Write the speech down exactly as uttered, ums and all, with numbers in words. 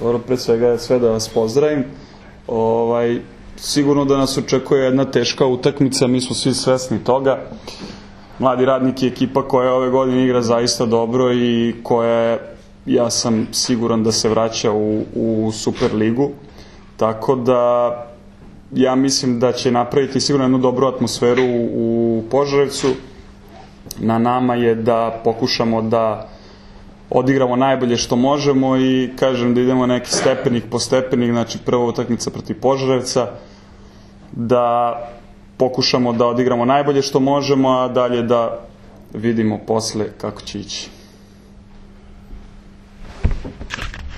Dobro, pre svega sve da vas pozdravim. Ovaj, sigurno da nas očekuje jedna teška utakmica, mi smo svi svesni toga. Mladi radnik je ekipa koja ove godine igra zaista dobro i koja je, ja sam siguran da se vraća u, u Super ligu. Tako da ja mislim da će napraviti sigurno jednu dobru atmosferu u Požarevcu. Na nama je da pokušamo da odigramo najbolje što možemo i kažem da idemo neki stepenik po stepenik, znači prva utakmica protiv Požarevca, da pokušamo da odigramo najbolje što možemo, a dalje da vidimo posle kako će ići.